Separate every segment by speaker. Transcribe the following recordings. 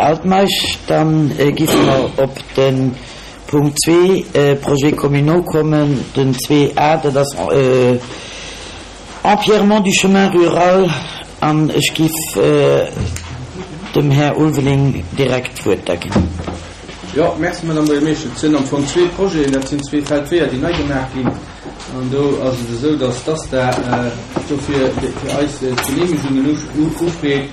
Speaker 1: Altmeisch. Dann giffe mer op de Punkt 2, Projets communaux, kommen, den 2a, dat ass Empierrement du chemin rural. An ech giff dem Här Ulveling direkt d'Wuert da ginn.
Speaker 2: Jo, merci, Madame Buergermeeschtesch. Et sinn am Fong zwee Projeten, dat sinn zwee Feldweeër, déi nei gemaach ginn. An do ass et esou, dass d'ASTA dofir fir eis d'Genehmegungen ufreet,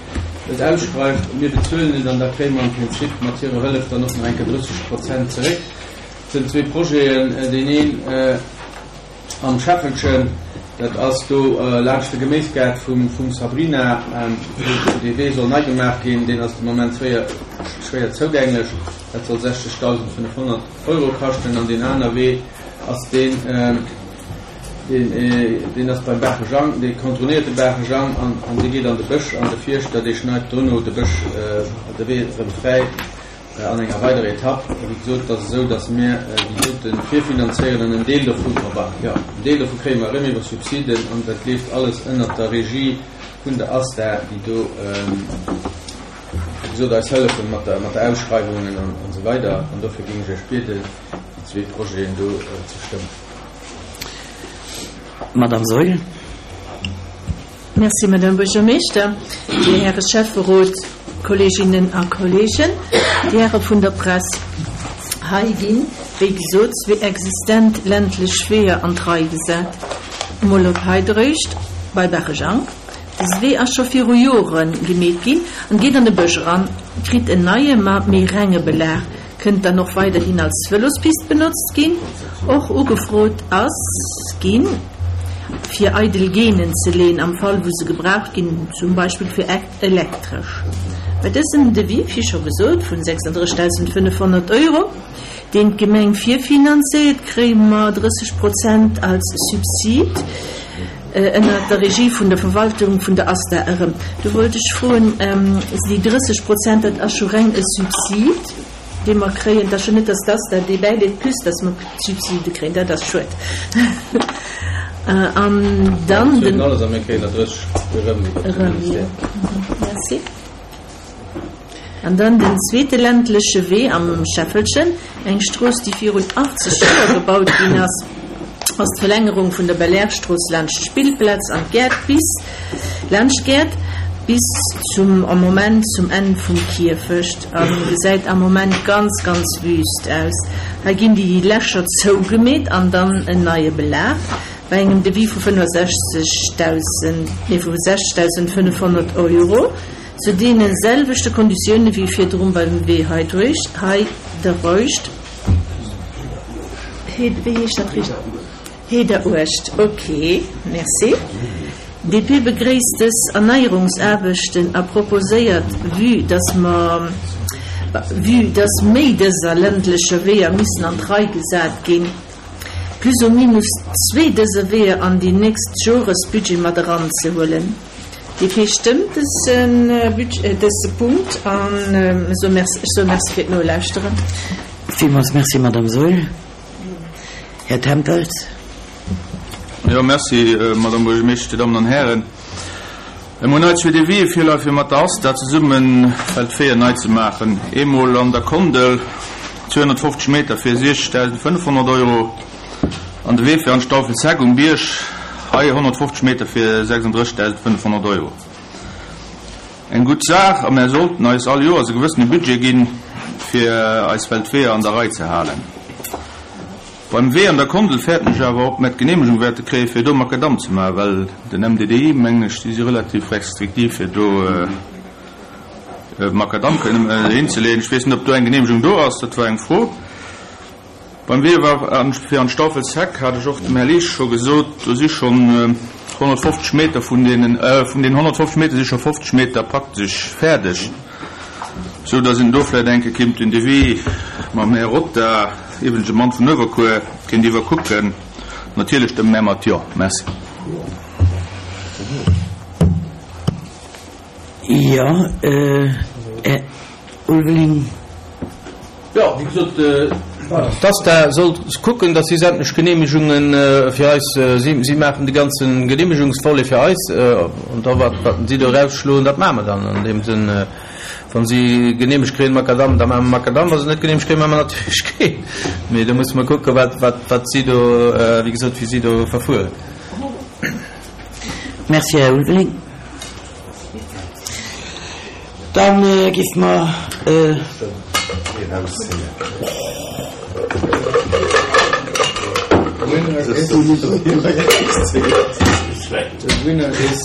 Speaker 2: et ausschreift, mir bezuelen et an da kréie mer am Prinzip mat hirer Hëllef dann och nach eng Kéier 30 Prozent zeréck. Et sinn zwee Projeten, deen een am Scheffelchen, dat ass do laanscht de Geméisgaart vum Sabrina, wou dee Wee soll nei gemaach ginn, deen ass de Moment schwéier zougänglech, dat soll 60.500 Euro kaschten. An deen aner Wee ass deen, deen ass beim Baache Jang, dee contournéiert de Baache Jang an dee geet an de Bësch an de Fierschter, dee schneit dono de Bësch, de Wee erëm fräi an enger weiderer Etapp. Wéi gesot, et ass esou, datt mir déi dote virfinanzéieren an en Deel dovu, enfin, jo, en Deel dovu kréie mer erëm iwwer Subsiden an dat leeft alles ënnert der Regie vun der ASTA, déi do, wéi gesot, eis hëllefen mat der, mat der Ausschreiwungen an esou weider. An dofir géing ech Iech bieden, déi zwee Projeten do ze stëmmen.
Speaker 1: Madame Saeul.
Speaker 3: Merci, Madame Buergermeeschter, Dir Häre Schäfferot, Kolleeginnen a Kolleegen, Dir Häre vun der Press. Hei ginn, wéi gesot, zwee existent ländlech Weeër an d'Rei gesat. Emol op Heidreucht bei Barejang. Dëse Wee ass scho viru Jore gemeet ginn an geet an de Bësch eran, kritt en neie, ma méi renge Belag. Kënnt dann och weiderhin als Vëlospist benotzt ginn. Och ugefrot ass ginn, fir eidel Gainen ze leen, am Fall wou se gebraucht ginn, zum Beispill fir Elektresch. Bei dësem Devis, wéi scho gesot, vun 36.500 Euro, deen d'Gemeng virfinanzéiert, kréie mer 30 Prozent als Subsid ënnert der Regie vun der Verwaltung vun der ASTA erëm. Do wollt ech froen, déi 30 Prozent, dat ass scho reng e Subsid, dee mer kréien. Et ass jo net, datt d'ASTA dee bäileet, plus datt mer Subside kréien. Dat ass schued. An dann den.
Speaker 2: Alles a mir kréien der 30 erëm iwwert de Ministère.
Speaker 3: Merci. An dann den zweete ländleche Wee am Scheffelchen, eng Strooss, déi virun 80 Joer gebaut ginn ass, ass d'Verlängerung vun der Belair-Strooss laanscht d'Spillplaz an d'Gäert bis laanscht d'Gäert bis zum am Moment zum Enn vum Kierfecht a gesäit am Moment ganz, ganz wüst aus. Hei ginn déi Lächer zougemeet an dann en neie Belag bei engem Devis vu 65.000, nee vu 60.500 Euro. Zu deene selwechte Konditioune wéi virdrun beim Wee hei duerch, hei de Reuscht, wéi heescht dat richteg? Heederuecht, ok, merci. DP begréisst dës Erneierungsaarbechten a proposéiert, vue dass mer, vue dass méi dëser ländlecher Weeër missen an d'Rei gesat ginn, plus ou minus zwee dëser Weeër an déi nächst Joresbudget mat eranzehuelen. DP stëmmt dëse Punkt an ech soe Merci fir d'Nolauschteren.
Speaker 1: Villmools Merci, Madame Saeul. Här Tempels.
Speaker 2: Jo, Merci, Madame Buergermeeschtesch, Dir Dammen an Hären. Mir hunn hei zwee Devisë virleie fir mat der ASTA zesummen d'Weeër nei ze maachen. Eemol an der Kondel, 250 Meter fir 60.500 Euro. An de Wee fir an d'Stauffelsheck um Bierg, hei 150 Meter fir 36.500 Euro. Eng gutt Saach a mär sollten eis all Joers e gewëssene Budget ginn, fir eis Feldweeër an der Rei ze halen. Beim Wee an der Kondel fäerten ech awer, ob mär d'Geneemegung wäerte kréien, fir do Makadamm ze maachen, well den MDDI, mengen ech, déi si relativ restriktiv, fir do Makadamm kënnen hinzeleeën. Ech weess net, ob do eng Geneemegung do ass, dat war eng Fro. Beim Wee fir an d'Staufelsheck hat ech och dem Här Liesch scho gesot, do si schonn 150 Meter vun deenen, vun deenen 150 Meter si scho 50 Meter praktesch fäerdeg, esou datt een do vläicht eng Kéier kéint den Devis mam Här Rota, iwwregens e Mann vun Uewerkuer, kéint iwwerkucken. Natierlech stëmme mär mat Jo. Merci.
Speaker 1: Jo, Här Ulveling.
Speaker 2: Jo, wéi gesot, d'ASTA soll kucken, datt si sämtlech Geneemegunge fir eis, si maachen de ganze Geneemegungsvolet fir eis, an da wat si do erausschloen, dat maache mer dann. An deem Sënn. Wa si geneemegt kréien, Makadamm, da maache mer Makadamm. Wa se net geneemegt kréien, maache mer natierlech keen. Mee do musse mer kucken, wat, wat, wat si do, wéi gesot, wéi si do verfueren.
Speaker 1: Merci, Här Ulveling. Dann géife mer.
Speaker 4: The winner is.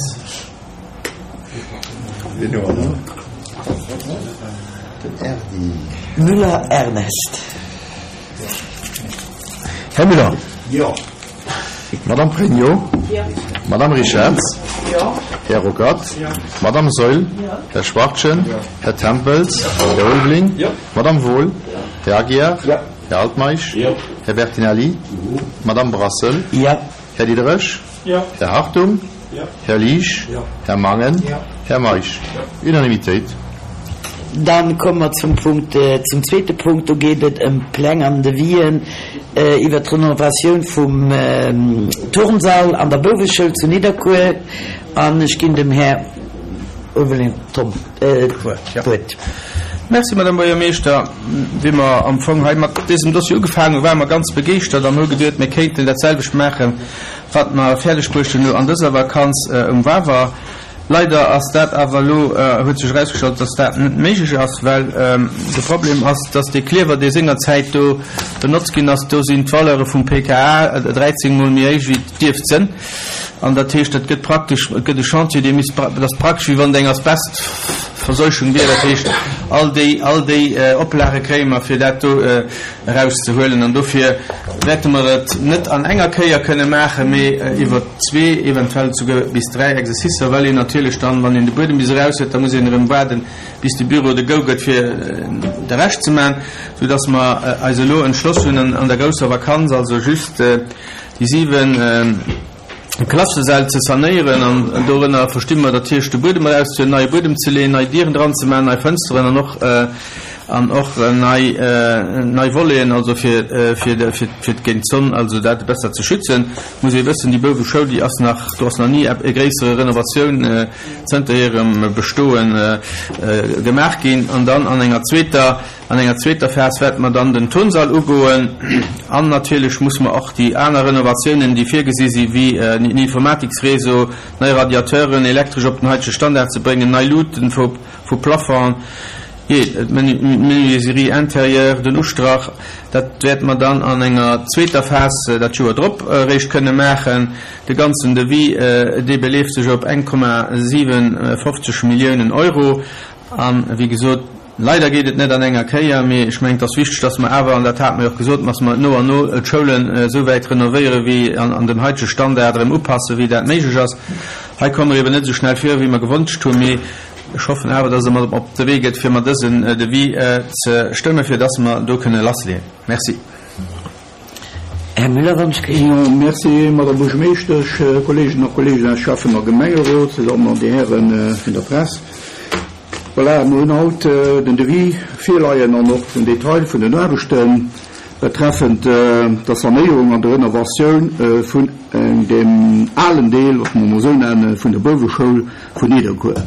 Speaker 1: Müller Ernest.
Speaker 4: Här Müller. Jo. Madame Pregno. Jo. Madame Richarz. Jo. Här Ruckert. Jo. Madame Saeul. Jo. Här Schwachtgen. Jo. Här Tempels. Jo. Här Ulveling. Jo. Madame Wohl. Jo. Här Aguiar. Jo. Här Altmeisch. Jo. Här Bertinelli. Jo. Madame Brassel.
Speaker 1: Jo.
Speaker 4: Här Diderich.
Speaker 2: Jo.
Speaker 4: Här Hartung.
Speaker 2: Jo.
Speaker 4: Här Liesch.
Speaker 2: Jo.
Speaker 4: Här Mangen.
Speaker 2: Jo.
Speaker 4: Här Meisch.
Speaker 2: Jo.
Speaker 4: Unanimitéit.
Speaker 1: Dann komme mer zum Punkt, zum zweete Punkt. Do geet et ëm d'Pläng an Devisen iwwert d'Renovatioun vum Turnsall an der Bouweschoul zu Nidderkuer. An ech ginn dem Här Ulveling Tom d'Wuert.
Speaker 2: Merci, Madame Buergermeeschter. Wéi mer am Fong hei mat dësem Dossier ugefaangen hunn, ware mer ganz begeeschtert an hu geduet, mir kéinten dat selwecht maachen, wat mer fäerdeg bruecht hunn elo an dëser Vakanz um Wawer. Leider ass dat awer elo, huet sech erausgestallt, dass dat net méiglech ass, well de Problem ass, dass dee Kliewer, dee sengerzäit do benotzt ginn ass, do sinn d'Valeure vum PKA 13 mol méi héich wéi et dierft sënn. An dat heescht, dat gëtt praktesch, et gëtt e Chantier, dee misst, dat ass praktesch wéi wann et eng Asbestverseuchung wier. Dat heescht, all déi, all déi Oplage kréie mer, fir dat do erauszehuelen. An dofir wäerte mer et net an enger Kéier kënne maachen, mee iwwer zwee, eventuell souguer bis dräi Exercicer, well een natierlech dann, wann een de Buedem bis eraus huet, da muss een erëm waarden, bis de Büro de Go gëtt, fir de Rescht ze maachen, soudass mer eis elo entschloss hunn, an der grousser Vakanz, also just déi 7 Klassesäll ze sanéieren an dorënner versti mer dat heescht de Buedem erauszehuelen, neie Buedem ze leeën, nei Dieren dran ze maachen, nei Fënsteren an och an och nei nei Voleten, also fir fir fir géint d'Sonn, also dat besser ze schützen. Muss ee wëssen, déi Bouweschoul, déi ass nach, do ass nach ni e gréissere Renovatioun zënter hirem Bestoe gemaach ginn. An dann an enger zweeter An enger zweeter Phas wäerte mer dann den Turnsall ugoen an natierlech muss mer och déi aner Renovatiounen, déi virgesi si wéi en Informatiksréseau, nei Radiateuren, elektresch op den haitege Standard ze bréngen, nei Luuten vu Plafongen, jee, d'Menuiserie intérieure, den Ustrach, dat wäerte mer dann an enger zweeter Phas dat Joer drop eréischt kënne maachen. De ganzen Devis, dee beleeft sech op 1,57 Milliounen Euro an, wéi gesot, Leider geet et net an enger Kéier, mee ech mengen, et ass wichteg, dass mer awer, an dat hate mer jo och gesot, dass mer no an no d'Schoulen esou wäit renovéieren, wéi an dem haitege Standard erëm upassen, wéi dat méiglech ass. Hei komme mer eben net esou schnell vir, wéi mer gewonscht hunn, mee ech hoffen awer, dass Der mer op de Wee gëtt, fir mer dësen Devis ze stëmmen, fir dass mer do kënne lassleeën. Merci.
Speaker 1: Här Müller, wann ech
Speaker 5: Jo, merci, Madame Buergermeeschtesch, Kolleeginnen a Kolleegen aus Schäffen a Gemengerot, Dir Dammen an Dir Hären vun der Press. Voilà, mir hunn haut den Devis virleien an och den Detail vun den Aarbechte betreffend der Sanéierung an der Renovatioun vun deem alen Deel, wa mer emol esou nennen, vun der Bouweschoul vun Nidderkuer.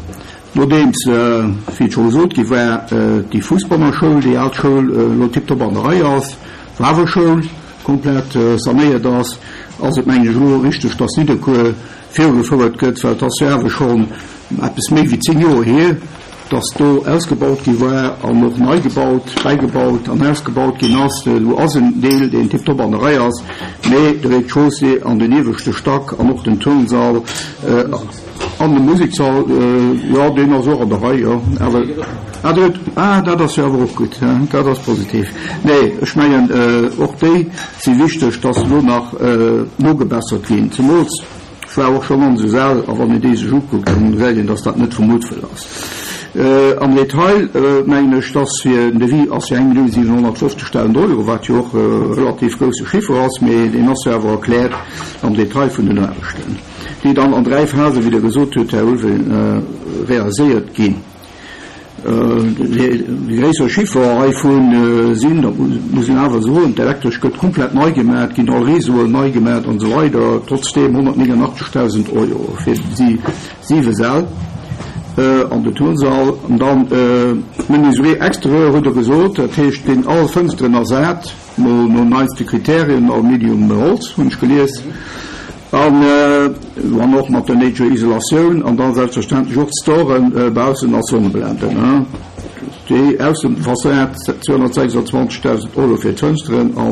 Speaker 5: Nodeems, wéi et scho gesot gi war, déi Fussbannerschoul, déi al Schoul, elo tiptop an der Rei ass, d'Wawerschoul komplett sanéiert ass, ass et, mengen ech, elo richteg, dass Nidderkuer virugefouert gëtt, well et ass jo awer schonn eppes méi wéi 10 Joer hier, dass do ausgebaut gi war an och nei gebaut, bäigebaut an ausgebaut ginn ass. Elo ass en Deel, deen tiptop an der Rei ass, mee de Rez-de-chaussée an den ieweschte Stack an och den Turnsall, An de Museksall, jo, deen ass och an der Rei, jo. Awer, ah, dat, ah, dat ass jo awer och gutt, dat ass positiv. Nee, ech mengen, och déi si wichteg, dass elo nach nogebessert ginn. Zemools, ech war och schonn an esou Säll, a wann een déi sech ukuckt, dann gesäit een, dass dat net vum Muttwëll ass. Am Detail mengen ech, dass fir den Devis ass jo 1.750.000 Euro, wat jo och e relativ grousse Chiffer ass, mee deen ass jo awer erkläert am Detail vun den Aarbechten. déi dann an dräi Phasen, wéi Der gesot hutt, Här Ulveling, realiséiert ginn. Déi gréisser Chiffer heivun sinn, dat muss een awer soen, d'Elektresch gëtt komplett nei gemaach, et ginn all Réseauen nei gemaach an esou weider, trotzdeem 189.000 Euro fir déi siwe Säll. An de Turnsall. An dann d'Menuiserie extérieure hutt Der gesot, dat heescht, ginn all Fënsteren ersat, mol no neiste Kriterien, Aluminium, Holz, hunn ech gelies, an wann och mat der néideger Isolatioun an da selbstverständlech och d'Storen baussen als Sonneblenden. Déi Aussefassad, 226.000 Euro fir d'Fënsteren an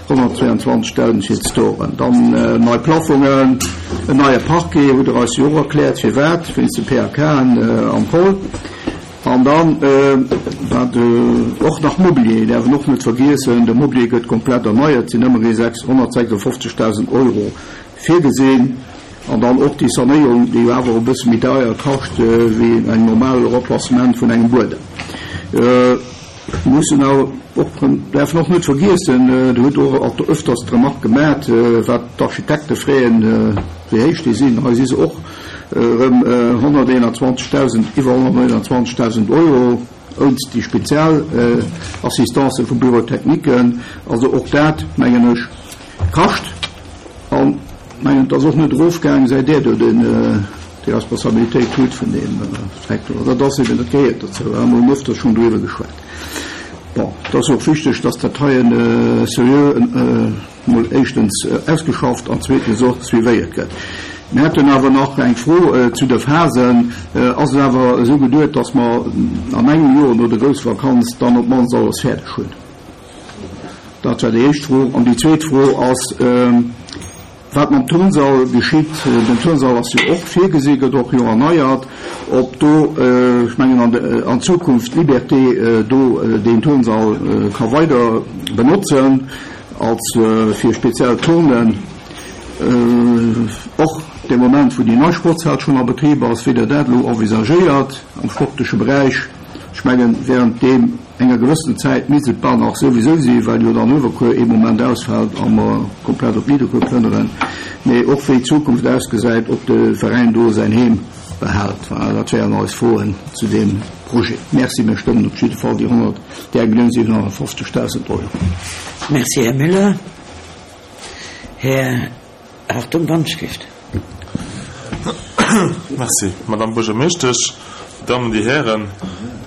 Speaker 5: 122.000 fir d'Storen. Dann nei Plafongen, en neie Parquet, hutt Der eis jo och erkläert firwat, wéinst de PAKen am Pol. An dann wat och nach, Mobilier däerf een och net vergiessen, de Mobilier gëtt komplett erneiert, sinn ëmmerhi 156.000 Euro virgesinn. An dann och déi Sanéierung, déi jo awer e bësse méi deier kascht wéi eng normal Remplacement vun engem Buedem. Mir mussen awer och, däerfen och net vergiessen, Dir hutt och öfters d'Remarque gemat, wat d'Architekte freeën, wéi héich déi sinn. Hei si se och erëm 121.000, iwwer 121.000 Euro, ounst déi spezial Assistance vum Bureau technique. Also och dat, mengen ech, kascht. An mengen, et ass och net erofgaang, säit Där do den, déi Responsabilitéit hutt vun deem Secteur. Dat ass eben, dat gehéiert dozou. Mir hunn öfters schonn doriwwer geschwat. Bon, et ass och wichteg, dass dat heien seriö emol éischtens ausgeschafft an zweetens och suivéiert gëtt. Mir hätten awer nach eng Fro zu de Phasen. Ass et awer esou geduet, dass mer an engem Joer no der Groussvakanz dann op d'mannst alles fäerdeg hunn? Dat war déi éischt Fro. An déi zweet Fro ass, wat mam Turnsall geschitt. Den Turnsall ass jo och virgesi, gëtt och jo erneiert. Ob do, ech mengen an Zukunft d'Liberté do deen Turnsall ka weider benotzen als fir speziell Turnen, och dee Moment wou déi nei Sportshal schonn a Betrib ass, wéi Der dat elo envisagéiert am sportleche Beräich. Ech mengen, während deem enger gewëssenen Zäit misst et bal nach souwisou sinn, well jo dann Uewerkuer ee Moment ausfält a mer komplett op Nidderkuer plënneren, mee och wéi d'Zukunft ausgesäit, ob de Veräin do säin Heem behält. Voilà, dat wären eis Froen zu deem Projet. Merci, mir stëmmen op jidde Fall déi 100, déi 1.750.000 Euro.
Speaker 1: Merci, Här Müller. Här Hartung, Wandschrift.
Speaker 6: Merci, Madame Buergermeeschtesch, Dir Dammen, Dir Hären.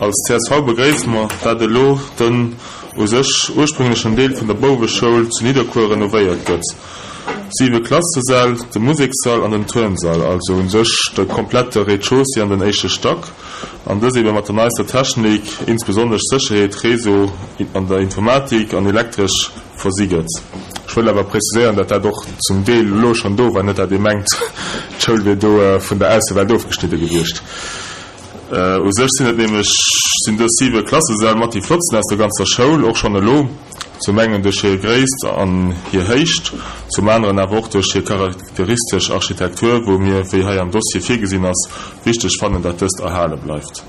Speaker 6: Als csv begréisse mer, dat elo den u sech ursprünglechen Deel vun der Bouweschoul zu Nidderkuer renovéiert gëtt. Siwe Klassesäll, de Musekssall an den Turnsall, also u sech de komplette Rez-de-chaussée an den éischte Stack, an dës ebe mat der neister Technik, insbesonnesch Sécherheet, Réseau an der Informatik an elektresch versi gëtt. Ech wëll awer preziséieren, datt dat och zum Deel elo schonn do war, net datt ee mengt, d'Schoul wier do vun der Aussewelt ofgeschnidde gewiescht. U sech sinn et nämlech sinn dës siwe Klassesäll mat déi flottsten aus der ganzer Schoul, och schonn elo, zum engen duerch hir Gréisst an hir Héicht, zum aneren awer och duerch hir charakteristesch Architektur, wou mir, wéi hei am Dossier virgesinn ass, wichteg fannen, datt dëst erhale bleift.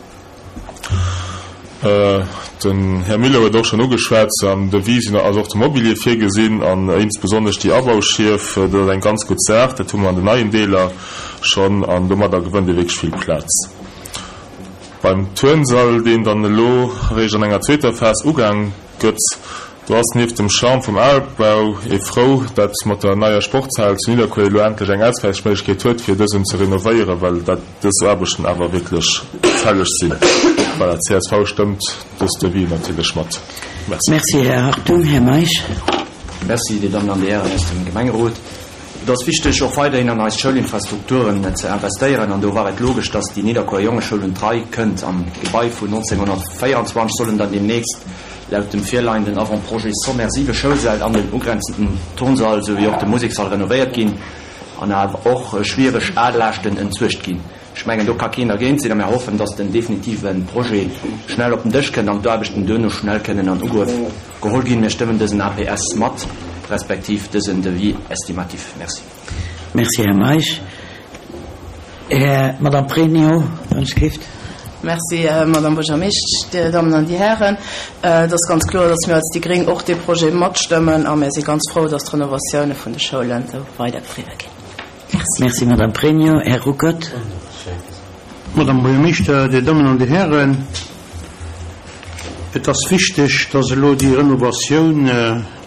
Speaker 6: Den Här Mille huet och schonn ugeschwat, am Devis sinn ass och de Mobilier virgesinn an insbesonnesch déi Abauschief, dat ass eng ganz gutt Saach, dat hu mer an den neien Deeler schonn an domadder gewënnt ee wierklech vill Plaz. Beim Turnsall, deen dann elo eréischt an enger zweeter Phas ugaang gëtt, do ass nieft dem Charme vum Albau ee frou, datt mat der neier Sportshal zu Nidderkuer elo endlech eng Auswäichméiglechkeet huet, fir dësen ze renovéieren, well dat dës Aarbechten awer wierklech fälleg sinn. Voilà, csv stëmmt dës Devis natierlech mat.
Speaker 1: Merci. Merci, Här Hartung. Här Meisch.
Speaker 7: Merci, Dir Dammen an Dir Hären aus dem Gemengerot. Et ass wichteg, och weiderhin an eis Schoulinfrastrukturen ze investéieren an do war et logesch, dass déi Nidderkuer Jongeschoul un d'Rei kënnt. Am Gebai vun 1924 sollen dann deemnächst laut dem virleienden Avant-projet sommaire siwe Schoulsäll an den ugrenzenden Turnsall souwéi och de Musekssall renovéiert ginn. An awer och schwiereg al Laaschten entsuergt ginn. Ech mengen, do ka keen dergéint sinn a mir hoffen, dass den definitive Projet schnell op den Dësch kënnt an d'Aarbechten duerno schnell kënnen an Ugrëff geholl ginn. Mir stëmmen dësen APS mat, respektiv dësen Devis estimatif. Merci.
Speaker 1: Merci, Här Meisch. Här, Madame Pregno, Wënschgift.
Speaker 8: Merci, Madame Buergermeeschtesch, Dir Dammen an Dir Hären. Et ass ganz kloer, dass mir als déi Gréng och dee Projet matstëmmen a mir si ganz frou, dass d'Renovatioune vun de Schoulen esou weidergedriwwe ginn.
Speaker 1: Merci. Merci, Madame Pregno. Här Ruckert.
Speaker 9: Madame Buergermeeschter, Dir Dammen an Dir Hären, et ass wichteg, dass elo déi Renovatioun,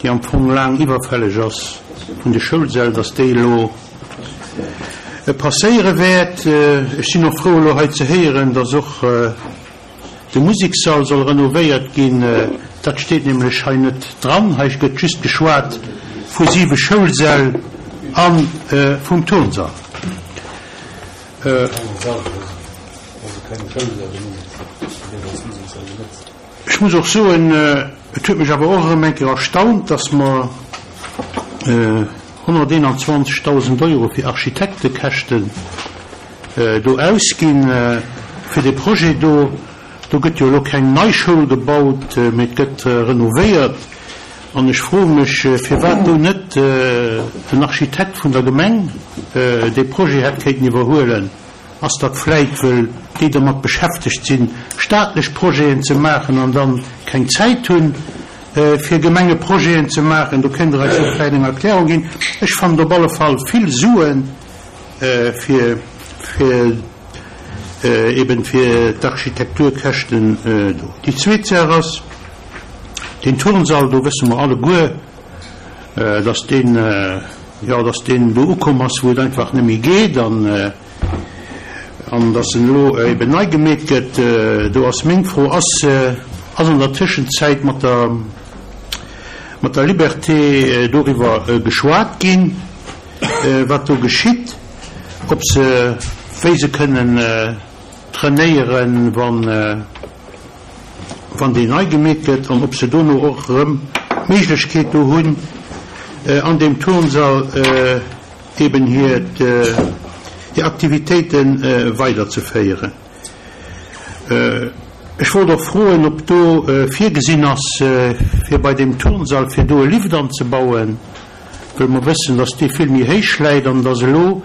Speaker 9: déi am Fong laang iwwerfälleg ass, vun de Schoulsäll, dass déi elo. passéiere wäert. Ech sinn och frou elo hei ze héieren, dass och de Musekssall soll renovéiert ginn. Dat steet nämlech hei net dran. Hei gëtt just geschwat vu siwe Schoulsäll a vum Turnsall. Ech muss och soen, et huet mech awer och erëm eng Kéier erstaunt, dass mer 121.000 Euro fir Architektekäschten do ausginn fir dee Projet do. Do gëtt jo elo keng nei Schoul gebaut, mee et gëtt renovéiert. An ech froe mech, firwat do net den Architekt vun der Gemeng dee Projet hätt kéinten iwwerhuelen. Ass dat vläit, wëll déi dermat beschäftegt sinn, staatlech Projeten ze maachen an dann keng Zäit hunn, fir Gemengeprojeten ze maachen? Do kéint Der eis jo vläit eng Erklärung ginn. Ech fannen et op alle Fall vill Suen fir, fir eben fir d'Architekturkäschten do. Déi zweet Saach ass, deen Turnsall, do wësse mer alleguer, dass deen, jo, dass deen do ukomm ass, wou et einfach net méi geet an, an dass en elo eben nei gemeet gëtt. Do ass meng Fro, Ass, ass an der Tëschenzäit mat der, mat der Liberté doriwwer geschwat ginn, wat do geschitt, ob se, wéi se kënnen trainéieren, wann, wann deen nei gemeet gëtt, an ob se dono och erëm d'Méiglechkeet do hunn, an deem Turnsall eben hir Aktivitéite weiderzeféieren. Ech wollt och froen, ob do virgesinn ass, fir bei deem Turnsall, fir do e Lift anzebauen, well mer wëssen, dass dee vill méi héich läit an dass elo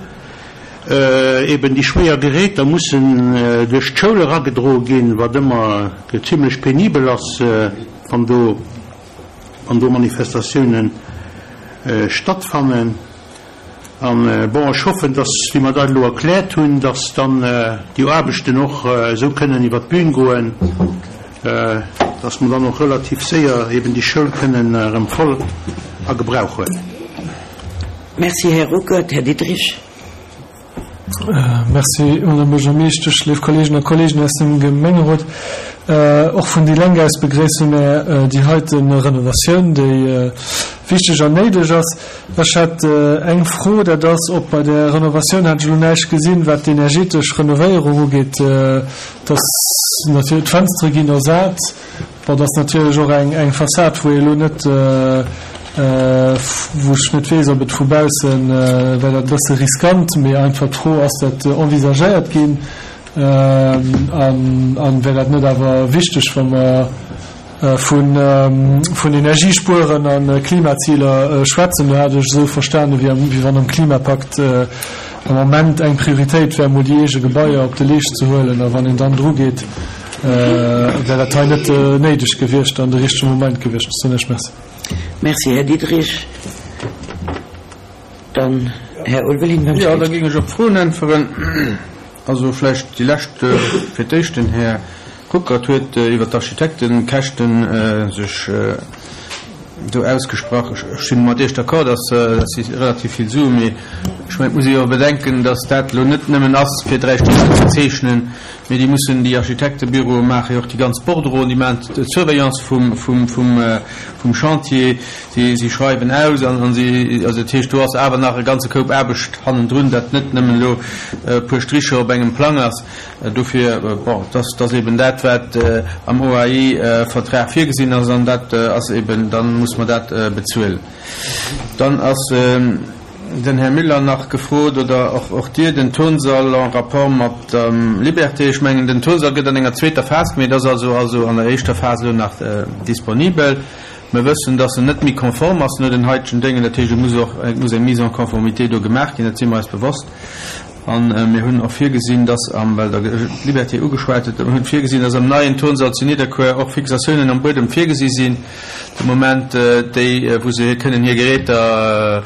Speaker 9: eben déi schwéier Geräter mussen duerch d'Schoul eragedroe ginn, wat ëmmer zimlech penibel ass, wann do, wann do Manifestatiounen stattfannen. An, bon, ech hoffen, dass, wéi mer dat elo erkläert hunn, dass dann déi Aarbechten och esou kënnen iwwert d'Bühn goen, dass mer dann och relativ séier eben déi Schoul kënnen erëm voll a Gebrauch huelen.
Speaker 1: Merci, Här Ruckert. Här Diderich.
Speaker 10: Merci, Madame Buergermeeschtesch, léif Kolleegen a Kolleegen aus dem Gemengerot. Och vun déi Lenk aus begréisse mär déi heite Renovatioun, déi wichteg an néideg ass. Ech hätt eng Fro, dat ass, ob bei där Renovatioun, hat ech elo näischt gesinn, wat d'energetesch Renovéierung ugeet, dass natierlech d'Fënstere ginn ersat, Bon, dat ass natierlech och eng Fassad, wou ee elo net, wou ech net weess, ob et vu baussen, wär dat e bësse riskant, mee einfach d'Fro, Ass dat envisagéiert ginn an wär dat net awer wichteg, wa mer vun Energiespueren a Klimaziler schwätzen? Do hat ech esou verstanen, wéi wann am Klimapakt am Moment eng Prioritéit wär, mol déi eege Gebaier op de Leescht ze huelen a wann een dann drugeet, Wär dat hei net néideg gewiescht an de richtege Moment gewiescht? Soen ech Merci.
Speaker 1: Merci, Här Diderich. Dann Här Ulveling
Speaker 2: beim Jo, da géing ech op d'Froen äntweren. Also vläicht déi lescht fir d'éischt. Den Här Ruckert huet iwwert d'Architektekäschte sech do ausgesprach. Ech si mat Iech d'accord, dass dat si relativ vill Suen, mee ech mengen, et muss ee jo och bedenken, dass dat elo net nëmmen ass, fir 3 Stricher ze zeechnen, Mee déi mussen, déi Architektebüroe maache jo och déi ganz Bordereauen, déi maachen d'Surveillance vum, vum, vum, vum Chantier, si, si schreiwen aus an, an si, also dat heescht, do ass awer nach e ganze Koup Aarbecht hannendrun, dat net nëmmen elo e puer Stricher op engem Plang ass. Dofir, bon, dat, dat ass eben dat, wat am OAI-Vertrag virgesinn ass an dat ass eben, dann muss mer dat bezuelen. Dann ass. Den Här Müller nach gefrot, oder och, och Dir, den Turnsall en rapport mat der Liberté. Ech mengen, den Turnsall gëtt an enger zweeter Phas gemeet, ass also also an der éischter Phas elo nach disponibel. Mir wëssen, dass en net méi konform ass no den haitegen Déngen. Dat heescht, et muss och, et muss eng Mise en conformité do gemaach ginn, dat si mer eis bewosst. A mir hunn och virgesinn, dass am, well Der d'Liberté ugeschwat hutt, mir hunn virgesinn, dass am neien Turnsall zu Nidderkuer och Fixatiounen am Buedem virgesi sinn de Moment, déi, wou se kënnen hir Geräter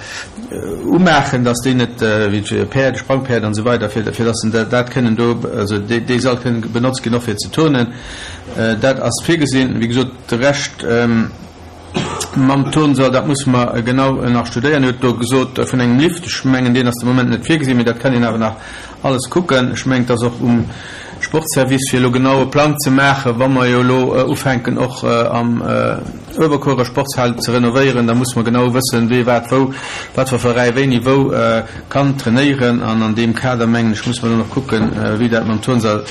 Speaker 2: umaachen, dass déi net, wéi d'Päerd, Sprangpäerd an esou weider, fir, fir dass se dat kënnen do, also dee, dee Sall kënnen benotzt ginn och fir ze turnen. Dat ass virgesinn. Wéi gesot, de Rescht. Mam Turnsall, dat musse mer genau nach studéieren. Dir hutt do gesot vun engem Lift. Ech mengen, deen ass de Moment net virgesinn, mee dat kann een awer nach alles kucken. Ech mengen, et ass och um Sportservice, fir elo genau e Plang ze maachen, wa mer jo elo ufänken och am Uewerkuerer Sportshal ze renovéieren, da musse mer genau wëssen, wee wat wou, wat fir Veräi wéini wou kann trainéieren. An an deem Kader, mengen ech, musse mer dann och kucken, wéi dat mam Turnsall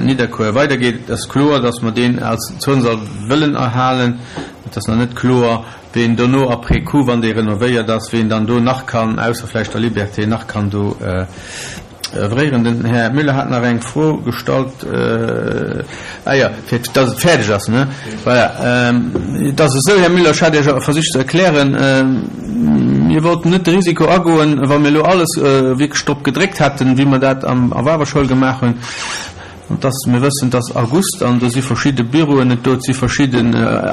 Speaker 2: Nidderkuer weidergeet. Et ass kloer, datt mer deen als Turnsall wëllen erhalen. Et ass nach net kloer, ween dono après coup, wann dee renovéiert ass, ween dann do nach kann, ausser vläicht der Liberté, nach kann do oeuvréieren. Den Här Müller hat nach eng Fro gestallt, ah jo, fir datt et fäerdeg ass, ne? Voilà. Et ass esou, Här Müller, ech hat Iech versicht ze erklären, mir wollten net de Risiko agoen, wa mir elo alles wierklech drop gedréckt hätten, wéi mer dat am a Wawerschoul gemaach hunn, an dass mir wëssen, et ass August an do si verschidde Büroen net do, et si verschidde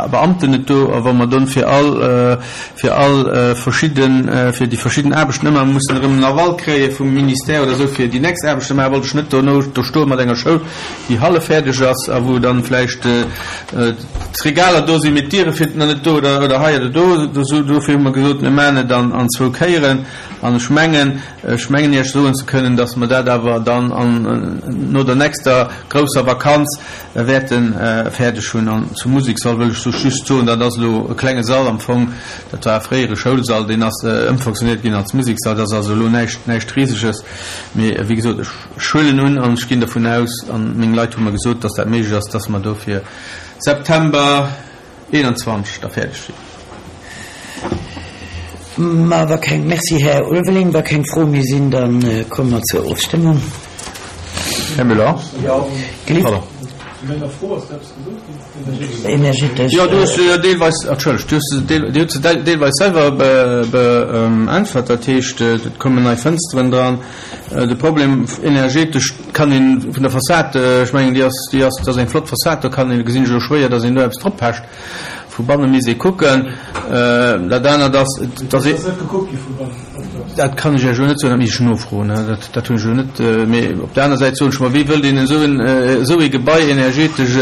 Speaker 2: Beamten net do, a wa mer dann fir all, fir all verschidden, fir déi verschidden Aarbechten ëmmer mussen erëm en Aval kréie vum Ministère oder esou, fir déi nächst Aarbecht ze maachen, wollt ech net dono do stoe mat enger Schoul, déi hallef fäerdeg ass a wou dann vläicht d'Regaler do sinn, mee d'Diere fir nach net do oder, oder hei oder do. Dofir hu mer gesot, mir maachen et an zwou Kéieren. An ech mengen, ech mengen Iech soen ze kënnen, dass mer dat awer dann an, no der nächster grousser Vakanz wäerte fäerdeg hunn. An zum Museksall wëll ech just soen, dat ass elo e klenge Sall am Fong, dat war e fréiere Schoulsall, deen ass ëmfonctionéiert ginn als Museksall. Dat ass also elo näischt, näischt Riseges. Mee wéi gesot, ech huelen un an ech ginn dervun aus, an meng Leit hu mer gesot, dass dat méiglech ass, dass mer do fir September 21 da fäerdeg sinn.
Speaker 1: Ma wa keng, Merci, Här Ulveling. Wa keng Froe méi sinn, da komme mer zur Ofstëmmung.
Speaker 4: Här Müller.
Speaker 1: Jo.
Speaker 4: Pardon.
Speaker 10: Zu menger Fro ass eppes gesot ginn?
Speaker 1: Energetesch.
Speaker 2: Jo, du hues se jo deelweis, entschëllegt, du hues se deel, Dir hutt se deelweis selwer beäntwert. Dat heescht, et kommen nei Fënsteren dran. De Problem energetesch kann een vun der Fassad, ech mengen, déi ass, déi ass, dat ass eng flott Fassad, do kann een, gesinn ech elo schwéier, datt een do eppes drop pecht. Vu banne misst ee kucken. Dat anert ass, datt ee. Dat kann ech Iech elo net soen, dat misst ech nofroen, dat, dat hunn ech elo net. Mee op der aner Säit soen ech mer, wéi wëllt een esou en, esou ee Gebai energetesch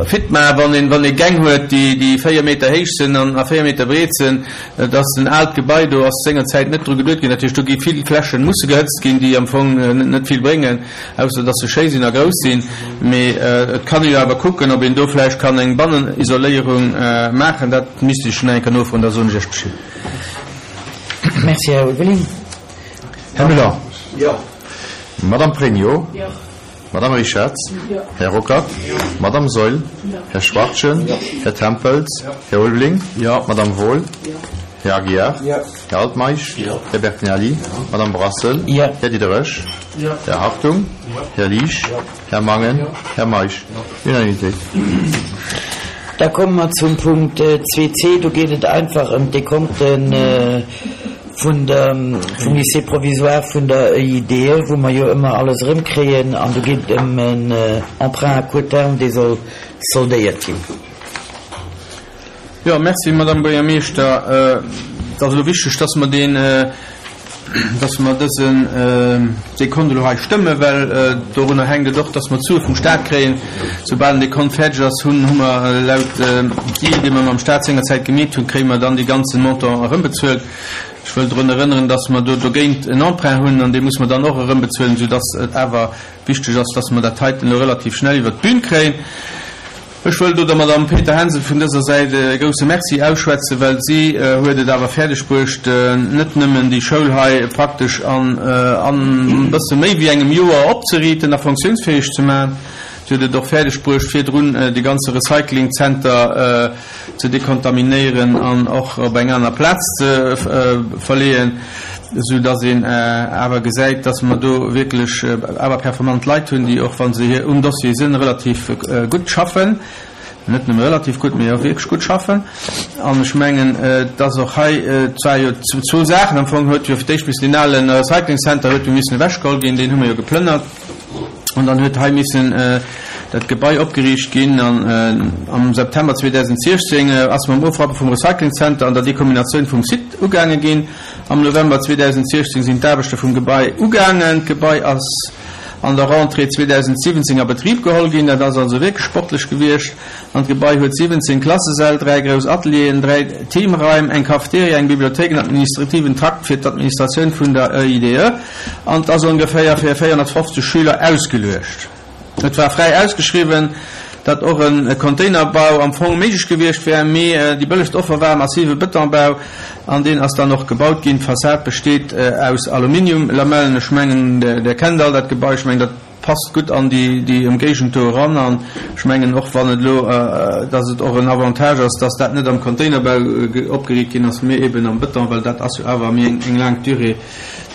Speaker 2: fit maachen, wann een, wann ee Gäng huet, déi, déi 4 Meter héich sinn an a 4 Meter breet sinn. Et ass en aalt Gebai, do ass sengerzäit net dru geduet ginn. Dat heescht, do gi vill Flächen musse gehëtzt ginn, déi am Fong net vill bréngen. Ausser dass se schéi sinn a grouss sinn. Mee et kann ee jo awer kucken, ob een do vläicht kann eng Bannenisoléierung maachen. Dat misst ech nach eng Kéier nofroen, da soen ech Iech Bescheed.
Speaker 1: Merci, Här Ulveling.
Speaker 4: Här Müller.
Speaker 5: Jo.
Speaker 4: Madame Pregno.
Speaker 3: Jo.
Speaker 4: Madame Richarz.
Speaker 3: Jo.
Speaker 4: Här Ruckert.
Speaker 3: Jo.
Speaker 4: Madame Saeul.
Speaker 3: Jo.
Speaker 4: Här Schwachtgen.
Speaker 5: Jo.
Speaker 4: Här Tempels.
Speaker 5: Jo.
Speaker 4: Här Ulveling.
Speaker 2: Jo.
Speaker 4: Madame Wohl.
Speaker 3: Jo.
Speaker 4: Här Aguiar.
Speaker 5: Jo.
Speaker 4: Här Altmeisch.
Speaker 5: Jo.
Speaker 4: Här Bertinelli. Madame Brassel.
Speaker 1: Jo.
Speaker 4: Här Diderich.
Speaker 10: Jo.
Speaker 4: Här Hartung.
Speaker 5: Jo.
Speaker 4: Här Liesch.
Speaker 5: Jo.
Speaker 4: Här Mangen.
Speaker 5: Jo.
Speaker 4: Här Meisch.
Speaker 5: Jo.
Speaker 4: Unanimitéit.
Speaker 1: Da komme mer zum Punkt 2c. Do geet et einfach ëm d'Dekonte vun der, vum Lycée provisoire vun der EID, wou mer jo ëmmer alles erëmkréien. An do geet et ëm en Emprunt à court terme, dee soll soldéiert ginn.
Speaker 2: Jo, merci, Madame Buergermeeschter. Et ass elo wichteg, dass mer deen, dass mer dësen Dekont elo hei stëmmen, well dorunner hänkt et och, dass mer d'Sue vum Stat kréien. Soubal den Dekont fäerdeg ass, hunn, hu mer laut Deal, dee mer mam Stat sengerzäit gemeet hunn, kréie mer dann dee ganze Montant erëmbezuelt. Ech wëll drun erënneren, dass mer do dogéint en Emprunt hunn an dee muss mer dann och erëmbezuelen, soudass et awer wichteg ass, dass mer dat heiten elo relativ schnell iwwert d'Bün kréien. Ech wëll do der Madame Peter-Hensel vun dëser Säit e grousse Merci ausschwätzen, well si huet et awer fäerdeg bruecht, net nëmmen déi Schoul hei praktesch an e bësse méi wéi engem Joer opzeriiten a fonctiounsfäeg ze maachen, si huet et och fäerdeg bruecht, virdrun de ganze Recyclingzenter ze dekontaminéieren an och op eng aner Plaz ze verleeën, esou dass een awer gesäit, dass mer do wierklech awer performant Leit hunn, déi och, wa se hier um Dossier sinn, relativ gutt schaffen, net nëmme relativ gutt, mee och wierklech gutt schaffen. An ech mengen, dass och hei, et war jo zwou Saachen am Fong, huet jo fir d'éischt missen deen ale Recycling Center huet jo missen ewechgeholl ginn, deen hu mer jo geplënnert. An dann huet hei missen dat Gebai opgeriicht ginn. An am September 2016 ass mam Ofrappe vum Recycling Center an der Dekominatioun vum Site ugaange ginn. Am November 2016 sinn d'Aarbechte vum Gebai ugaangen. D'Gebai ass. an der Rentrée 2017 a Betrib geholl ginn. Dat ass also wierklech sportlech gewiescht. An d'Gebai huet 17 Klassesäll, 3 grouss Atelieren, 3 Teamraim, eng Cafeteria, eng Bibliothéik, en administrativen Trakt fir d'Administratioun vun der EIDE an et ass ongeféier fir 450 Schüler ausgeluecht. Et war fräi ausgeschriwwen, datt och e Containerbau am Fong méiglech gewiescht wär, mee déi bëllegst Offer war e massive Betonbau an deen ass dann och gebaut ginn. D'Fassad besteet aus Aluminiumlamellen. Ech mengen, Der kennt all dat Gebai. Ech mengen, dat passt gutt an déi Ëmgéigend do eran an ech mengen och, wann et elo, datt et och en Avantage ass, datt dat net am Containerbau opgeriicht ginn ass, mee eben am Beton, well dat ass jo awer méi eng laang Durée.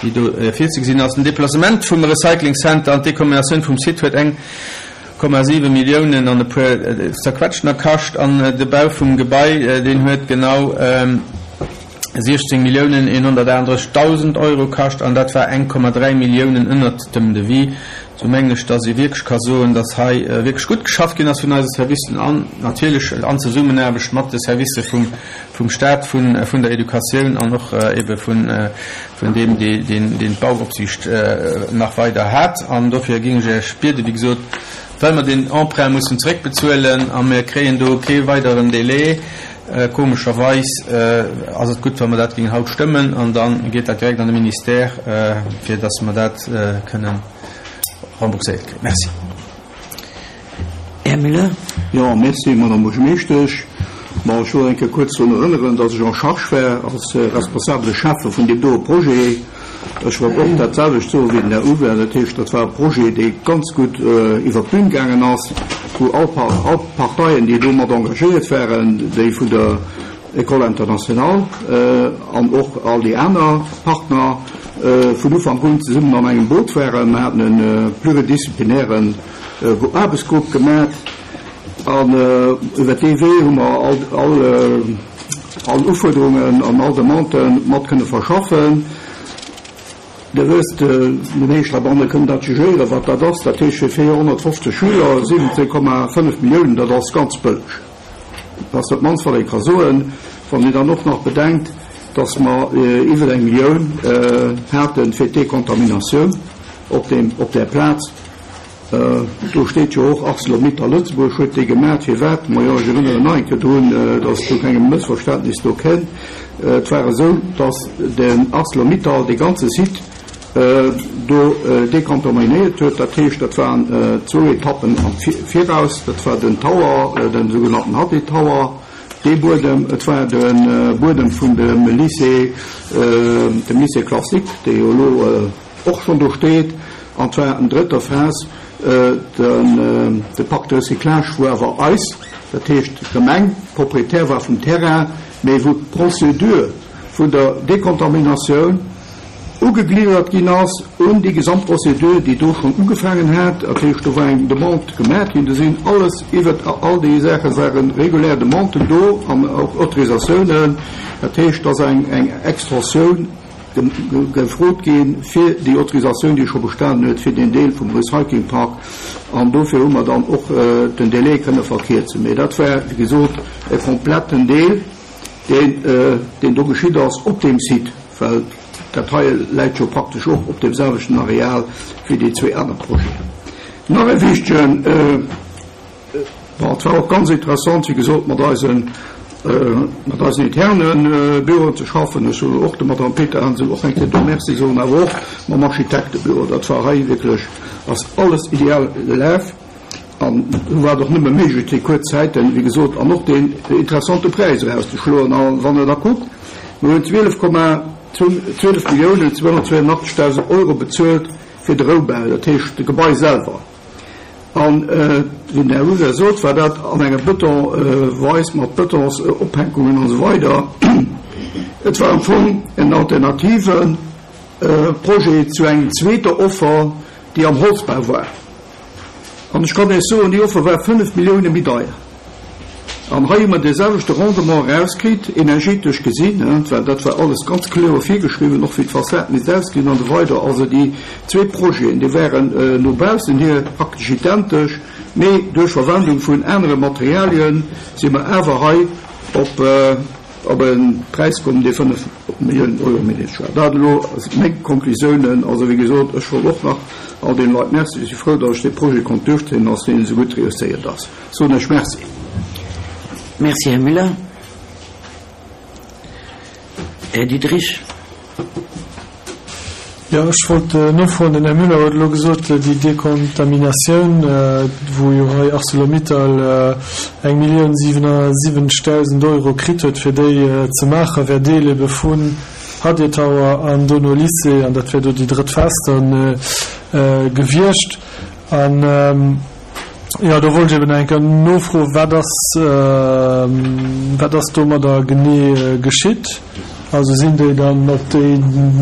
Speaker 2: déi do virzegesinn ass. Den Deplacement vum Recycling Center an d'Dekominatioun vum Site huet 1,7 Milliounen an e puer Zerquetschtener kascht an de Bau vum Gebai, deen huet genau 16 Milliounen 138.000 Euro kascht an dat war 1,3 Milliounen ënnert dem Devis. Sou mengen ech, dass ee wierklech ka soen, dass hei wierklech gutt geschafft ginn ass vun eise Servicen an natierlech an Zesummenaarbecht mat de Servicë vum vum Stat, vun vun der Educatioun an och ebe vun vun deem, dee deen deen d'Bauopsiicht nach weider hat. An dofir géing ech Iech bieden, wéi gesot, well mer deen Emprunt mussen zeréckbezuelen a mir kréien do kee weideren Délai, komescherweis, ass et gutt, wa mer dat géingen haut stëmmen an da geet dat direkt an de Ministère, fir dass mer dat kënnen rembourséiert kréien. Merci.
Speaker 1: Här Müller.
Speaker 5: Jo, merci, Madame Buergermeeschtesch. Bon, ech wëll eng Kéier kuerz drun erënneren, dass ech en charge war als responsabele Schäffe vun deem doe Projet. Ech wollt och dat selwecht soe wéi den Här Hubert. Dat heescht, dat war e Projet, dee ganz gutt iwwert d'Bün gaangen ass, wou all all Parteien, déi do mat engagéiert waren, déi vun der École internationale an och all déi aner Partner, vun Ufank un zesummen an engem Boot waren. Mir haten e pluridisziplinären Aarbechtsgrupp gemat an iwwer dee Wee hu mer all Ufuerderungen an all Demandë mat kënne verschaffen. Dir wësst, déi meescht heibanne kënnen dat jugéieren, wat dat ass. Dat heescht fir 450 Schüler 17,5 Milliounen, dat ass ganz bëlleg. Dat ass dat mannst, wat ee ka soen, wann een dann och nach bedenkt, dass mer iwwer eng Millioun hate fir d'Dekontaminatioun op där Plaz. Do steet jo och Arcelor-Mittal Lëtzebuerg huet déi gemaat. Firwat? Majo, ech erënneren nach eng Kéier drun, datt zu kengem Mëssverständnis do kënnt. Et war esou, datt den Arcelor-Mittal dee ganze Site do dekontaminéiert huet. Dat heescht, dat waren zwou Etappen am Viraus. Dat war den Tower, den sougenannten Hadley Tower, dee Buedem. Et war de Buedem vun dem Lycée, dem Lycée classique, dee jo elo, och schonn do steet, an zwar an drëtter Phas de Parc de recyclage, wou awer eis, dat heescht d'Gemeng, Propriétaire war vum Terrain, mee wou d'Procédure vun der Dekontaminatioun ugegliddert ginn ass un déi gesamt Procédure, déi do schonn ugefaangen hat. Dat heescht, do war eng Demande gemaach ginn, do sinn alles iwwert all déi Saache ware regulär Demanden do an och Autorisatiounen. Dat heescht, dass eng Extensioun gefrot gi fir déi Autorisatioun, déi scho bestanen huet, fir deen Deel vum Recyclingpark. An dofir hu mer dann och den Délai kënne verkierzen. Mee dat war, wéi gesot, e kompletten Deel, deen, deen do geschitt ass op deem Site, well dat hei läit jo praktesch och op deem selwechten Areal wéi déi zwee aner Projeten. Nach e wichtegen. Bon, et war och ganz interessant, wéi gesot, mat eisen, mat eisen interne Büroen ze schaffen. Ech soen och der Madame Peterhansel och eng Kéier do Merci soen, awer och mam Architektebüro. Dat war hei wierklech, ass alles ideal gelaf an do war et och nëmme méiglech, déi kuerz Zäiten, wéi gesot, an och deen interessante Präis erauszeschloen. A wann Der da kuckt, mir hunn 12, 12 Milliounen 282.000 Euro bezuelt fir de Roubau, dat heescht de Gebai selwer. An, wéi den Här Husel sot, war dat an enger Bëtonweis mat Bëtonsophänkungen an esou weider. Et war am Fong en alternative Projet zu engem zweeter Offer, déi am Holzbau war. An ech kann Iech soen, déi Offer war 5 Millioune méi deier. An hei hu mer dee selwechte Rendement erauskritt, energetesch gesinn, well dat war alles ganz kloer virgeschriwwen, och wéi d'Fassad misst ausgesinn an esou weider. Also déi zwee Projeten, déi waren no baussen hier praktesch identesch, mee duerch Verwendung vun anere Materialien si mer awer hei op e Präis komm, dee 5 Milliounen Euro méi niddreg war. Dat elo meng Konklusiounen. Also wéi gesot, ech wollt och nach. All deene Leit Merci. Ech si frou, datt ech dee Projet konnt duerchzéien an datt deen esou gutt reusséiert ass. Soen ech Merci.
Speaker 1: Merci, Här Müller. Här Diderich.
Speaker 10: Jo, ech wollt nofroen, den Här Müller huet elo gesot, déi Dekontaminatioun, wou jo hei Arcelor-Mittal eng Millioun 77.000 Euro kritt huet, fir déi ze maachen, wär Deel ebe vun Hadir Tower an dono Lycée, an dat wär do déi drëtt Phas dann gewiescht. An jo, do wollt ech eben eng Kéier nofroen, wat ass, wat ass domadder genee geschitt? Also sinn déi dann op déi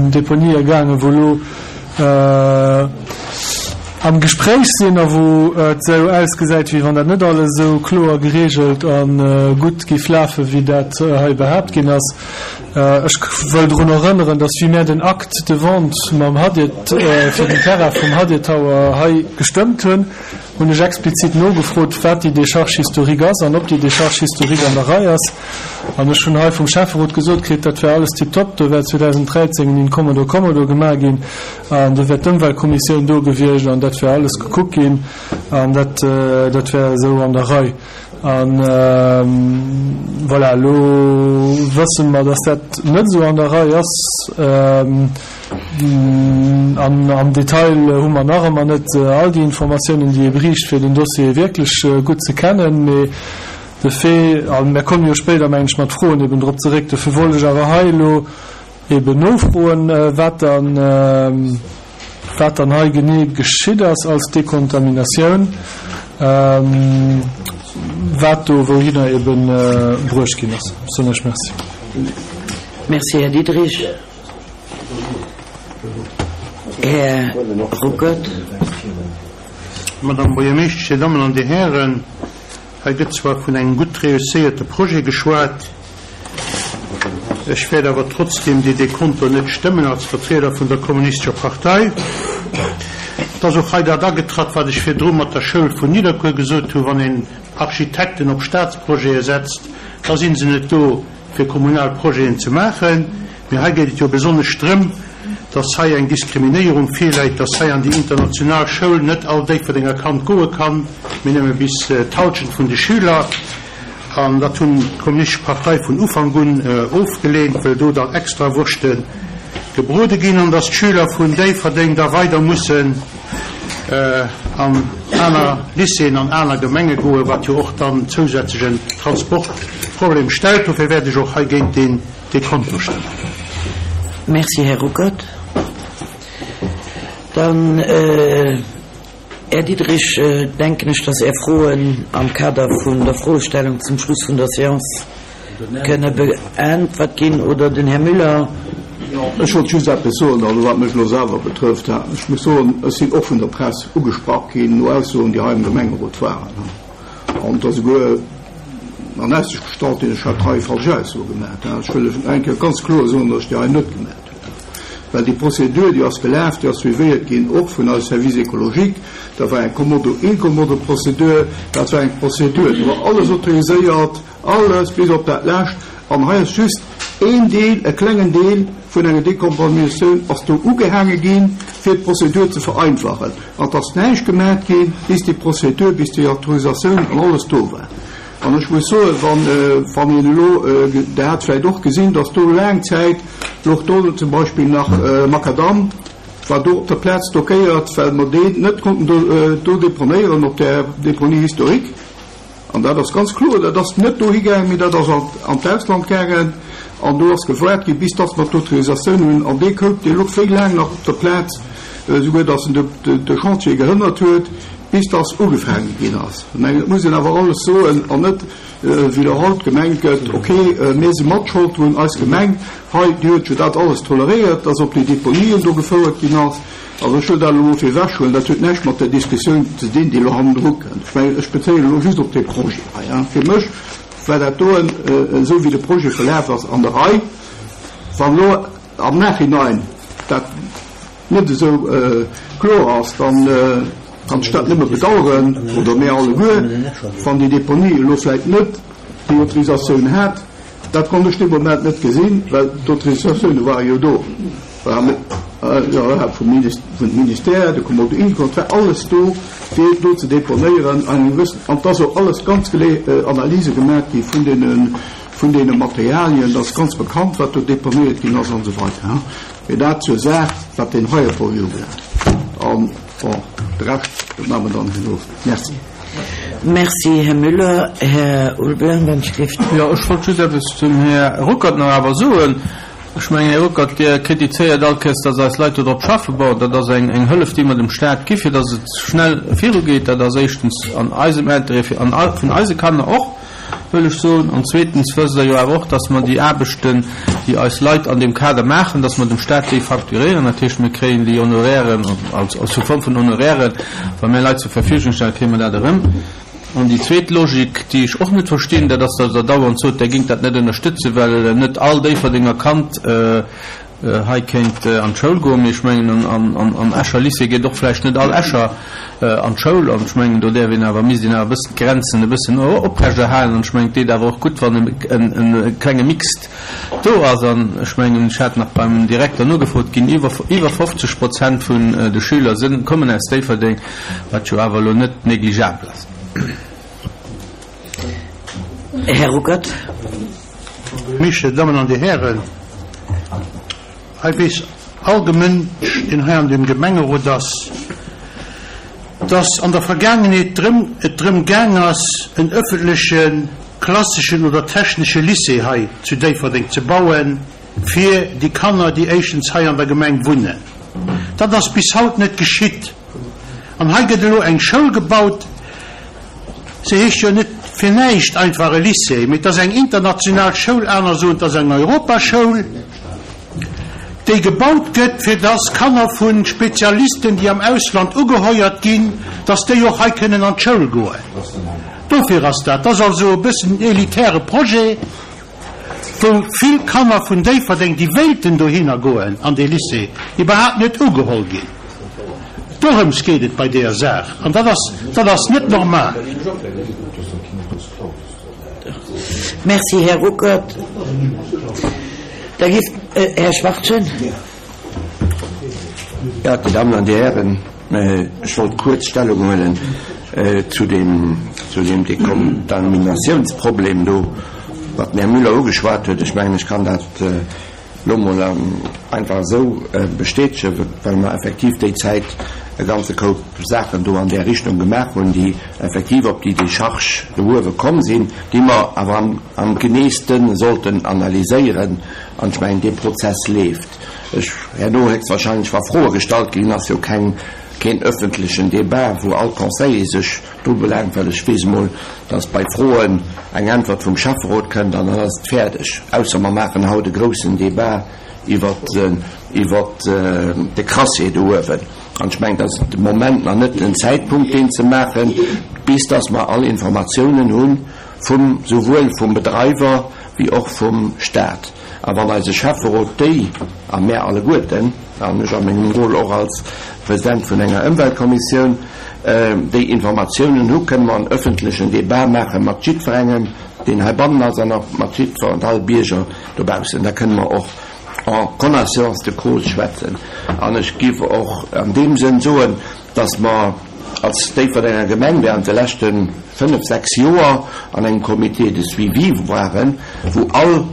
Speaker 10: Deponië gaangen, wou elo am Gespréich sinn a wou et esou ausgesäit, wéi wann dat net alles esou kloer geregelt a gutt géif lafen, wéi dat hei behaapt ginn ass? Ech wëll drun erënneren, dass wéi mär den Acte de vente mam Hadir, fir den Terrain vum Hadir Tower hei gestëmmt hunn, hunn ech explizit nogefrot, wat déi Décharge historique ass an ob déi Décharge historique an der Rei ass. An ech hunn hei vum Schäfferot gesot kritt, dat wär alles tiptop, do wär 2013 en Incommodo commodo gemaach ginn an do wär d'Ëmweltkommissioun do gewiescht an dat wär alles gekuckt ginn an dat, dat wär esou an der Rei. An voilà, elo wësse mer, dass dat net esou an der Rei ass. An am Detail hu mer nach ëmmer net all déi Informatiounen, déi ee bräicht, fir den Dossier wierklech gutt ze kennen. Mee de Fait, a mir komme jo spéider, mengen ech, mat Froen eben drop zeréck, dofir wollt ech awer hei elo eben nofroen, wat dann, Wat dann hei genee geschitt ass als Dekontaminatioun, wat do wouhinner ebe bruecht ginn ass. Ech soen Iech Merci.
Speaker 1: Merci, Här Diderich. Här Ruckert.
Speaker 9: Madame Buergermeeschtesch, Dir Dammen an Dir Hären, hei gëtt zwar vun engem gutt reusséierte Projet geschwat, Ech wäert awer trotzdem dee Dekonto net stëmmen als Vertrieder vun der Kommunistescher Partei. Et ass och hei dat agetratt, wat ech virdru mat der Schoul vun Nidderkuer gesot hunn, Wann een Architekten op Statsprojete setzt, da si se net do, fir kommunal Projeten ze maachen. Mee hei geet et jo besonnesch drëm, dass hei eng Diskriminéierung virläit, dass hei an déi international Schoul net all Déifferdenger Kand goe kann, mee nëmme bis d'Halschent vun de Schüler. An dat hunn d'Kommunistesch Partei vun Ufank un ofgeleent, wëll do dann extra Wurschte gebrode ginn an datt d'Schüler vun Déifferdeng da weider mussen an aner Lycéeën an aner Gemenge goen, wat jo och dann zousätzlechen Transportproblem stellt. Dofir wäert ech och hei géint deen Dekonto stëmmen.
Speaker 1: Merci, Här Ruckert. Dann. Här Diderich, denken ech, dass Är Froen am Kader vun der Froestellung zum Schluss vun der Séance kënne beäntwert ginn. Oder den Här Müller.
Speaker 5: Ech wollt just eppes soen, also wat mech elo selwer betrëfft. Ech muss soen, ech sinn och vun der Press ugesprach ginn no Aussoen, déi hei am Gemengerot waren. An et ass esouguer an Aussicht gestallt ginn, ech hätt hei falsch Aussoe gemaach. Ech wëll lech eng Kéier ganz kloer soen, dass ech déi hei net gemaach hunn. Well déi Prozedur, déi ass gelaf, déi ass suivéiert ginn, och vun eise Service écologique. Dat war eng Kommodo-Incommodo-Prozedur, dat war eng Prozedur, do war alles autoriséiert, alles bis op dat Lescht. An hei ass just een Deel, e klengen Deel vun enger Dekontaminatioun ass do ugehaange ginn, fir d'Prozedur ze vereinfachen. An et ass näischt gemat ginn, bis déi Prozedur, bis déi Autorisatioun an alles do war. An ech muss soen, wann, wann een elo, Der hat vläicht och gesinn, dass do laang Zäit louch do zum Beispill nach Makadam war do op der Plaz stockéiert, well mer deen net konnten do, do deponéieren op där Déponie historique. An dat ass ganz kloer, dat ass net dohi gaangen, mee dat ass an, an d'Ausland gaangen. An do ass gewaart ginn, bis dass mer d'Autorisatioun hunn. An dee Koup, dee louch wéi laang nach op der Plaz, esouguer dass en de, de Chantier gehënnert huet. Bis dass ugefaange ginn ass. Ech mengen, et muss een awer alles soen an net, wéi elo haut gemengt gëtt, ok, mir si mat Schold drun, eis Gemeng hei, déi huet jo dat alles toleréiert, dass op déi Deponien do gefouert ginn ass. Also ech wëll dat elo mol fir ewech huelen, dat huet näischt mat der Diskussioun ze dinn, déi elo hannendru kënnt. Ech mengen, ech bezéien elo just op dee Projet hei. Fir mech war dat doen, esou wéi de Projet verlaf ass, an der Rei. Wann elo am Nachhinein dat net esou kloer ass, dann kann ech dat nëmme bedauern, oder mir alleguer, wann déi Deponie elo vläicht net déi Autorisatioun hat. Dat konnt ech dee Moment net gesinn, well d'Autorisatioune ware jo do. Jo, vum Ministère, de Kommodo Incont, war alles do, fir do ze deponéieren. An eng gewëssen, an et ass och alles ganz gelee Analyse gemaach gi vun deene, vun deene Materialien, dat ass ganz bekannt, wat do deponéiert ginn ass an esou weider. Mee dat zur Saach, wat deen heie Projet ubelaangt. An, bon, de Rescht, dat maache mer dann herno.
Speaker 1: Merci. Merci, Här Müller. Här Ulveling, wann ech dierft.
Speaker 2: Jo, ech wollt just eppes zum Här Ruckert nach awer soen. Ech mengen, Här Ruckert, Dir kritizéiert all Kéiers, dass eis Leit do drop schaffen. Bon, dat ass eng eng Hëllef, déi mer dem Stat gi fir dass et schnell virugeet. Dat ass éischtens an eisem Intérêt, fir an vun eise Kanner och, wëll ech soen. An zweetens wësst Der jo awer och, dass mer déi Aarbechten, déi eis Leit an deem Kader maachen, dass mer dem Stat déi facturéieren. Dat heescht, mir kréien déi Honorairen als sous forme vun Honorairen, wa mir Leit zur Verfügung stellen, kréie mer dat erëm. An déi zweet Logik, déi ech och net verstinn, dat ass, datt Der dauernd sot, Der géingt dat net ënnerstëtzen, well net all Déifferdenger Kand hei kéint an d'Schoul goen. Mee ech mengen, am Escher Lycée geet och vläicht net all Escher an d'Schoul. An ech mengen, do däerf een awer, misst een awer e bëssen d'Grenzen e bëssen oprechterhalen. An ech mengen, et deet awer och gutt, wann e klenge Mixed do ass. An ech mengen, ech hat nach beim Direkter nogefrot, ginn iwwer 50 Prozent vun de Schüler sinn, kommen aus Déifferdeng. Wat jo awer elo net négligeabel ass.
Speaker 1: Här Ruckert.
Speaker 9: Michel, Dammen an Dir Hären, hei weess all Gemënsch, deen hei an deem Gemengerot ass, dass an der Vergaangenheet drëm, et drëm gaang ass, en öffentleche klasseschen oder technesche Lycée hei zu Déifferdeng ze bauen, fir déi Kanner, déi éischtens hei an der Gemeng wunnen. Dat ass bis haut net geschitt. An hei gëtt elo eng Schoul gebaut, se heescht jo net fir näischt einfach e Lycée, mee et ass eng international Schoul, aner soen, et ass eng Europaschoul, déi gebaut gëtt, fir dass Kanner vu Spezialisten, déi am Ausland ugeheuert ginn, dass déi och hei kënnen an d'Schoul goen. Dofir ass dat. Dat ass also e bëssen en elitäre Projet. wou vill Kanner vun Déifferdeng, déi wéilten dohinner goen an dee Lycée, iwwerhaapt net ugeholl ginn. Dorëms geet et bei deeër Saach, an dat ass, dat ass net normal.
Speaker 1: Merci, Här Ruckert. Da géif, Här Schwachtgen.
Speaker 11: Jo, Dir Dammen an Dir Hären, ech wollt kuerz Stellung huelen zu deem, zu deem Dekontaminatiounsproblem do, wat den Här Müller ugeschwat huet. Ech mengen, ech kann dat elo emol einfach esou bestätegen, well mer effektiv déi Zäit e ganze Koup Saachen do an där Richtung gemaach hunn, déi effektiv op déi Décharge do uewe komm sinn, déi mer awer am, am geneeste sollten analyséieren. An ech mengen, dee Prozess leeft. Ech, herno héchstwahrscheinlech, wa Froe gestallt ginn, ass jo keng, keen öffentlechen Débat, wou all Conseiller sech dru belaangt, well ech weess emol, dass bei Froen eng Äntwert vum Schäfferot kënnt an dann ass et fäerdeg. Ausser mer maachen haut e groussen Débat iwwert, iwwert de Crassier do uewen. An ech mengen, et ass de Moment nach net den Zäitpunkt, deen ze maachen, bis dass mer all Informatiounen hu vum, souwuel vum Bedreiwer wéi och vum Stat. A wann eise Schäfferot déi, a mär alleguerten, an ech a mengem Rôle och als President vun enger Ëmweltkommissioun, déi Informatiounen hu, kënne mer en öffentlechen Débat maache mat jiddwerengem, deen heibannen ass, an och mat jiddwer und all Bierger dobaussen. Da kënne mer och en connaissance de cause schwätzen. An ech géif och an deem Sënn soen, dass mer als Déifferdenger Gemeng während de leschte fënnef, sechs Joer an engem Comité de suivi waren, wou all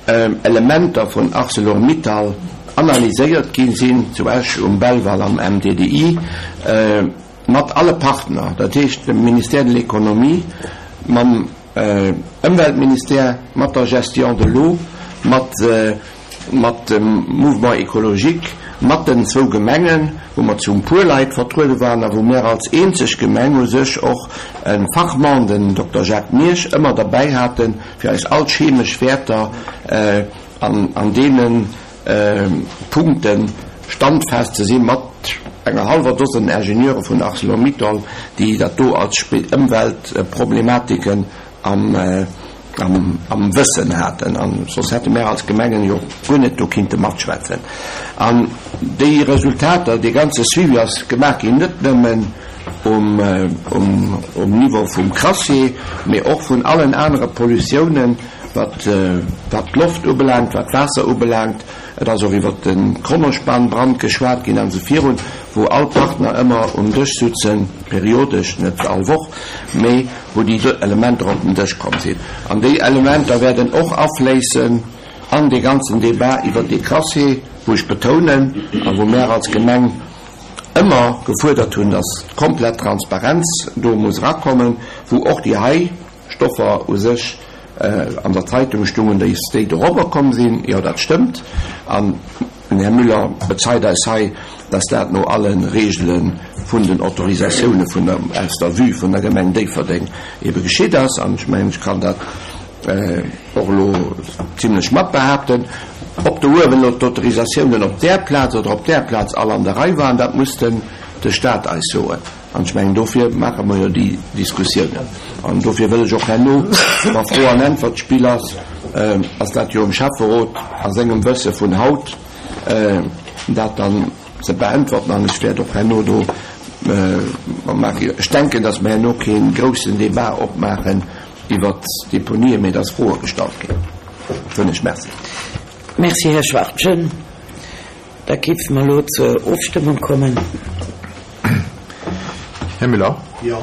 Speaker 11: Elementer vun Arcelor-Mittal analyséiert gi sinn, zu Esch um Belval am MDDI, mat alle Partner, dat heescht dem Ministère de l'Économie, mam Ëmweltministère, mat der Gestion de l'eau, mat mat dem Mouvement écologique, mat den zwou Gemengen, wou mer zu e puer Leit vertruede waren a wou mär als eenzeg Gemeng u sech och e Fachmann, den Dokter Jacques Miersch, ëmmer derbäi haten, fir eis all d'chemesch Wäerter an deene Punkte standfest ze sinn, mat enger hallwer Dosen Ingenieure vun Arcelor-Mittal, déi dat do als Ëmweltproblematiken am am Wëssen haten, an soss hätte mär als Gemengen jo guer net do kinnte matschwätzen. An déi Resultater, dee ganze Suivi ass gemaach ginn, net nëmmen um um Niveau vum Crassier, mee och vun allen anere Pollutiounen, wat wat d'Loft ubelaangt, wat d'Waasser ubelaangt. Et ass och iwwert de Kronospan-Brand geschwat ginn an esou virun, wou all Partner ëmmer um Dësch sutzen, periodesch, net all Woch, mee wou déi Elementer op den Dësch komm sinn. An déi Elementer wäerten och afléissen an dee ganzen Débat iwwert dee Crassier, wou ech betounen a wou mär als Gemeng ëmmer gefuerdert hunn, dass komplett Transparenz do muss erakommen, wou och déi hei Stoffer u sech an der Zeitung stungen, déi déi dorobber komm sinn. Jo, dat stëmmt. An den Här Müller bezeit eis hei, dass dat no alle Regele vun den Autorisatioune vun der, aus der Vue vun der Gemeng Déifferdeng ebe geschitt ass. An ech mengen, ech kann dat och elo zimlech mat behaapten. Ob do uewen elo d'Autorisatiounen op där Plaz oder op där Plaz all an der Rei waren, dat muss den de Stat eis soen. An ech mengen, dofir maache mer jo déi Diskussiounen. An dofir wëll ech och herno, wa Fro an Äntwert-Spill ass, ass dat jo um Schäfferot a sengem Wësse vun haut, dat dann ze beäntwerten. An ech wäert och herno do maachen, ech denken, datt mer herno kee groussen Débat opmaachen iwwert d'Deponien, mee datt Froe gestallt ginn. Soen ech Merci.
Speaker 1: Merci, Här Schwachtgen. Da géife mer elo zur Ofstëmmung kommen.
Speaker 4: Här Müller?
Speaker 5: Jo.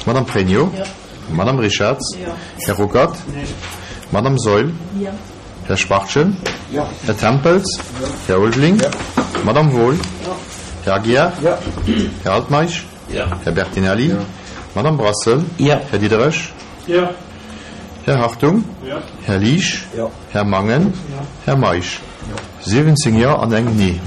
Speaker 4: Madame Pregno?
Speaker 3: Jo.
Speaker 4: Madame Richarz?
Speaker 3: Jo.
Speaker 4: Här Ruckert?
Speaker 3: Nee.
Speaker 4: Madame Saeul?
Speaker 3: Jo.
Speaker 4: Här Schwachtgen?
Speaker 5: Jo.
Speaker 4: Här Tempels?
Speaker 5: Jo.
Speaker 4: Här Ulveling?
Speaker 5: Jo.
Speaker 4: Madame Wohl?
Speaker 3: Jo.
Speaker 4: Här Aguiar?
Speaker 5: Jo.
Speaker 4: Här Altmeisch?
Speaker 5: Jo.
Speaker 4: Här Bertinelli?
Speaker 5: Jo.
Speaker 4: Madame Brassel?
Speaker 1: Jo.
Speaker 4: Här Diderich?
Speaker 10: Jo.
Speaker 4: Här Hartung?
Speaker 10: Jo.
Speaker 4: Här Liesch?
Speaker 5: Jo.
Speaker 4: Här Mangen?
Speaker 10: Jo.
Speaker 4: Här Meisch?
Speaker 5: Jo.
Speaker 4: 17 Jo an eng Nee.